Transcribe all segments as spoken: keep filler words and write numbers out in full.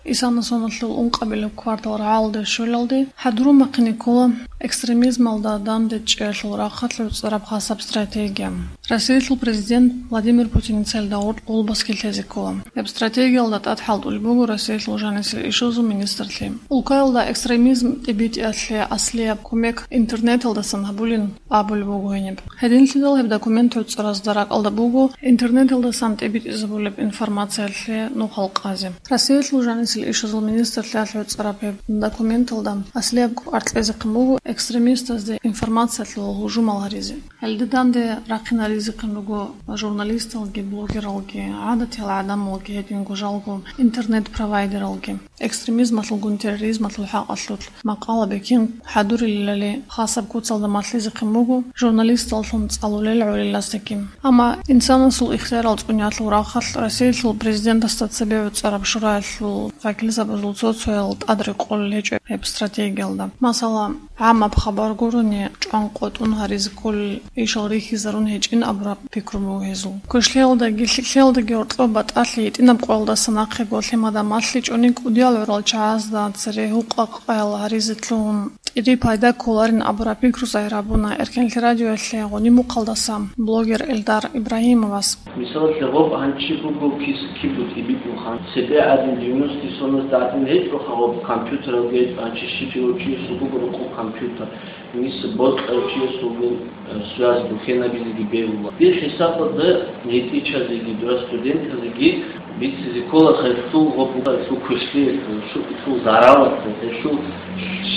Исана соналъул ункъабилеб квартал рагӀалде щвелалде хӀадурун бахъине ккола экстремизмалда данде чӀеялъул рахъалъ гӀуцӀараб хасаб стратегия. Россиялъул президент Владимир Путиница гьелда гъоркь къулбаскил лъезе ккола. Гьеб стратегиялда тӀад хӀалтӀулеб буго Россиялъул жанисел ишазул министрлъи. Улкаялда экстремизм тӀибитӀиялъе аслияб кумек интернеталдасан гьабулин абулеб буго гьениб. Гьединлъидал гьеб документ гӀуцӀаразда ракӀалда буго интернеталдасан тӀибитӀизабулеб информациялъе нухал къазе. Россиялъул жанисел ишазул министрлъиялъ гӀуцӀараб гьеб документалда аслияб кӀвар кьезехъин буго экстремистазде информациялъул гьужумал гьаризе. Гьелде данде рахъинаризехъин руго журналисталги, блогералги, гӀадатиял гӀадамалги, гьединго жалго интернет-провайдералги. Экстремизмалъулгун терроризмалъул хӀакъалъулъ макъала бекин хӀадурилали хасаб куцалда малъизехъин буго журналисталлъун цӀалулел гӀолилаздеги. Амма инсанасул ихтиярал цӀуниялъул рахъалъ Россиялъул президентасда цебе гӀуцӀараб шураялъул вакилзабазул цо-цоял тӀад рекъолел гьечӀо гьеб стратегиялда. Масала, гӀамаб хабар гурони, чӀван къотӀун гьаризе кколел ишал рихьизарун гьечӀин абураб пикру буго гьезул. Квешлъиялдаги лъикӀлъиялдаги гьоркьоб батӀалъи гьитӀинаб къоялдаса нахъего лъимада малъичӀони кӀудиял гӀурал чагӀазда цере гьукъа-къаял гьаризе лъугьун, тӀири пайда кколарин абураб пикру загьир гьабуна Эркенлъи радиоялъе гъуниб мухъалдаса блогер Эльдар Ибрагьимовас. Мисалалъе, гъоб гьанчи буго кис кибу тӀибитӀулха, цебе гӀадин девяностые соназ гӀадин гьечӀоха гъоб компьютералги гьечӀо, гьанчи щив чи гьечӀо, чиясул буго рокъоб компьютер. Мис бокьав чиясулгун, э, связь бухьенабизеги бегьула. Дир хӀисабалда нетӀичазеги, дура студентазеги бицизе ккола гьелъул гъоб-, гьелъул квешлъиялъул, шу-, гьелъул заралалъул, гьелъул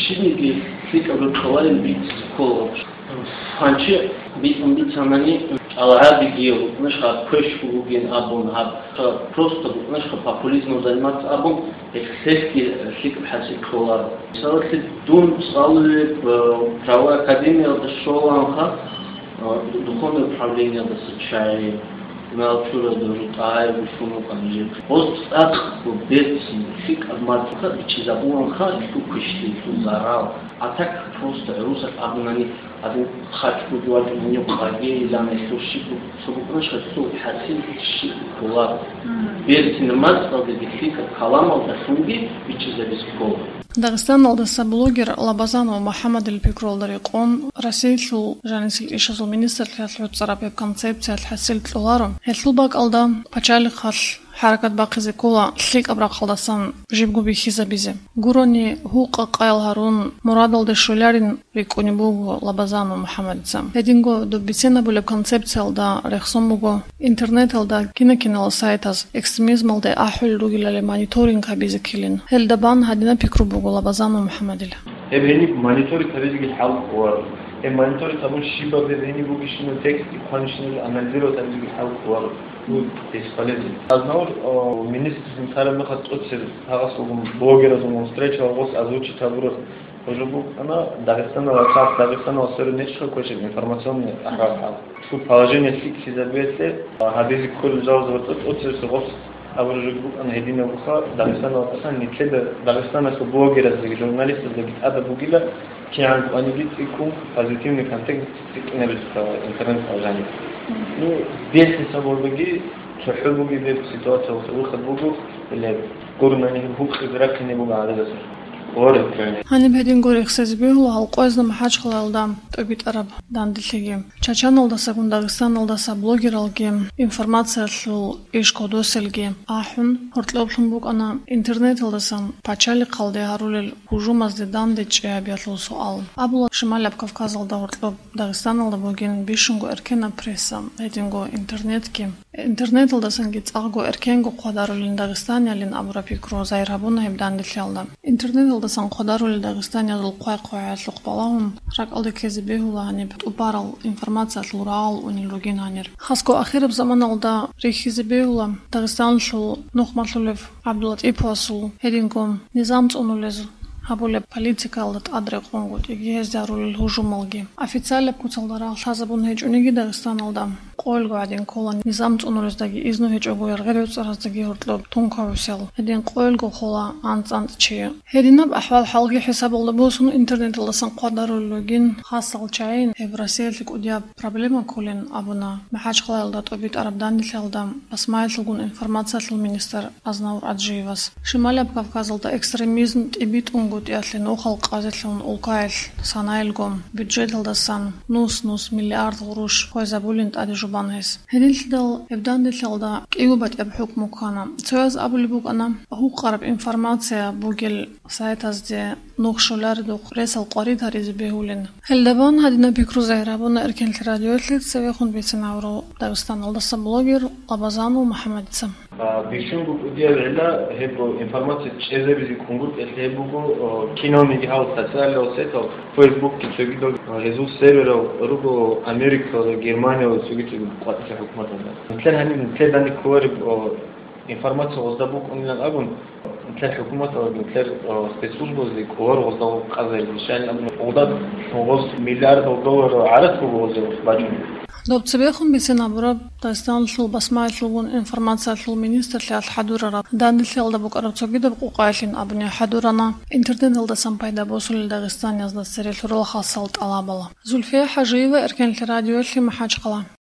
щибниги лъикӀаб рокьуларин бицизе ккола. Гьанчи бицун бицанани, чӀаларабиги, букӀунашха квеш бугин абун, гьаб, просто букӀунашха популизмом заниматься абун, Гьелъги лъикӀаб хӀасил кколаро. Мисалалъе, дун цӀалулеб, э, правовой академиялда щоланха, э, духовное управлениялдаса чагӀи, Малчура дужу тӀагӀи бушун вукӀана жив. Гъоз цӀакъго берцин лъикӀаб мацӀалъа бичӀчӀизабуланха гьелъул квешлъи, гьелъул зарал. А так просто гӀурусат абунани, Гьадин, хъачӀ бугевал гьенив къагейилан гьелъул щиб-, цо букӀунашха цо хӀасил щиб кколаро. Мгм. Берцин мацӀалдаги лъикӀаб каламалдалъунги бичӀчӀизабизе ккола. Дагъистаналдаса блогер Лабазанов МухӀаммадил пикруялда рекъон, Россиялъул жанисел ишазул министрлъиялъ гӀуцӀараб гьеб концепциялъ хӀасил кьоларо. Гьелъул бакӀалда пачалихъалъ хӀаракат бахъизе ккола лъикӀаб рахъалдасан жибго бихьизабизе. Гурони, гьукъа-къаял гьарун, мурадалде щвеларин рикӀкӀунеб буго Лабазанов МухӀаммадица. Гьединго доб бицен абулеб концепциялда рехсон буго интернеталда кина-кинал сайтаз экстремизмалде ахӀулел ругелали мониторинг гьабизе ккелин. Гьелда бан гьадинаб пикру буго Лабазанов МухӀаммадил. Гьеб гьениб мониторинг гьабизеги хӀал кколаро. Гьеб мониторинг гьабун щибаб гьеб гьениб бугищинал текст, хъванищинал анализировать гьабизеги хӀал кколаро. Ну, бесполезно. Азнавур, о, министрзин тараб мехалъ тӀоцеб гьагъасулгун блогеразулгун встреча гъос озвучить гьабураб. Гьужо букӀана Дагъистаналда, хас Дагъистаналда сверун нечӀеха квешаб информационный ахӀвал-хӀал. Цо положение лъикӀлъизабиялъе, а, гьабизе кколел жалазабаз тӀоцебесеб гъос абураб жо букӀана гьединаб буха, Дагъистаналда хасан нилъеда Дагъистаналъул блогераздаги журналистаздаги тӀадаб бугила, кигӀан кӀваниги цӀикӀкӀун позитивный контент цӀикӀкӀинабизе ккола интернет-алжаниялъ. Ну, бертин сабурбаги, цохӀо бугеб ситуациялъул выход буго, или гурунани гьукъизе рахъине буго гӀададаса. Гъоре ккани. Гьаниб гьединго рехсезе бегьула гьал къоязда МахӀачхъалаялда тӀобитӀараб данделъиги. Чачаналдасагун Дагъистаналдаса блогералги, информациялъул иш кодоселги ахӀун, гьоркьоблъун букӀана интернеталдасан пачалихъалде гьарулел гьужумазде данде чӀей гьабиялъул суал. Абула, Шималаб Кавказалда гьоркьоб Дагъистаналда бугин бищунго эркенаб пресса, гьединго интернетги. Интернеталдасанги цӀакъго эркенго хъвадарулин дагъистаниялин абураб пикру загьир гьабуна гьеб данделъиялда. Интернеталдасан хъвадарулел дагъистаниязул хъвай-хъвагӀаялъухъ балагьун, ракӀалде ккезе бегьула гьаниб тӀубарал информациялъул рагӀал унел ругин гьанир. Хасго ахираб заманалда рихьизе бегьула Дагъистаналъул нухмалъулев ГӀабдуллатӀиповасул гьединго низам цӀунулез гьабулеб политикаялда тӀад рекъонгутӀиги гьезда гьарулел гьужумалги. Официалаб куцалда рагъ лъазабун гьечӀониги Дагъистаналда, Къоялго гӀадин ккола низам цӀунурездаги изну гьечӀого яргъи-ревцӀараздаги гьоркьоб тункавусел. Гьедин къоялго хола анцӀ-анцӀ чи. Гьединаб ахӀвал-хӀалги хӀисабалда босун интернеталдасан хъвадарулел ругин хасал чагӀи гьеб Россиялъе кӀудияб проблема кколин абуна МахӀачхъалаялда тӀубитӀараб данделъиялда басмаялъулгун информациялъул министр Азнавур Аджиевас. Шималияб Кавказалда экстремизм тӀибитӀунгутӀиялъе нухал къазелъун улкаялъ санаялго бюджеталдасан нус-нус миллиард гъурущ хвезабулин тӀаде жубан гьес. Гьединлъидал гьеб данделъиялда кӀиго батӀияб хӀукму ккана. Цояз абулеб букӀана, гьукъараб информация бугел сайтазде нух щоларедухъ ресал къварид гьаризе бегьулин. Гьелдабан гьадинаб пикру загьир гьабуна Эркенлъи радиоялъе цевехун бицин гьавурав Дагъистаналдаса блогер Лабазанов МухӀаммадица. А, бищунго кӀудияб гӀилла гьеб информация чӀезабизе кӀунгутӀиялъе гьеб буго, о, киналниги гьал социального сетал, Facebook-ки цогидал, а, гьезул серверал руго Америкалда, Германиялда цоги-цоги къватӀилъи хӀукуматалда. Нилъер гьаниб нилъер данде кколареб, о, информация гъозда букӀунилан абун, нилъер хӀукуматалда, нилъер, о, спецслужбазде кӀолар гъозда къазарилан щайилан абун, гъозда гъоз миллиардал долларал гӀарац буго гъозие бачӀун. Доб цебехун бицин гьабураб Дагъистаналъул басмаялъулгун информациялъул министрлъиялъ хӀадурараб данделъиялда букӀараб цогидаб къукъаялъин абуни хӀадурана интернеталдасан пайда босулел дагъистаниязда цере лъурал хасал тӀалабал. Зульфия ХӀажиева, Эркенлъи радиоялъе, МахӀачхъала.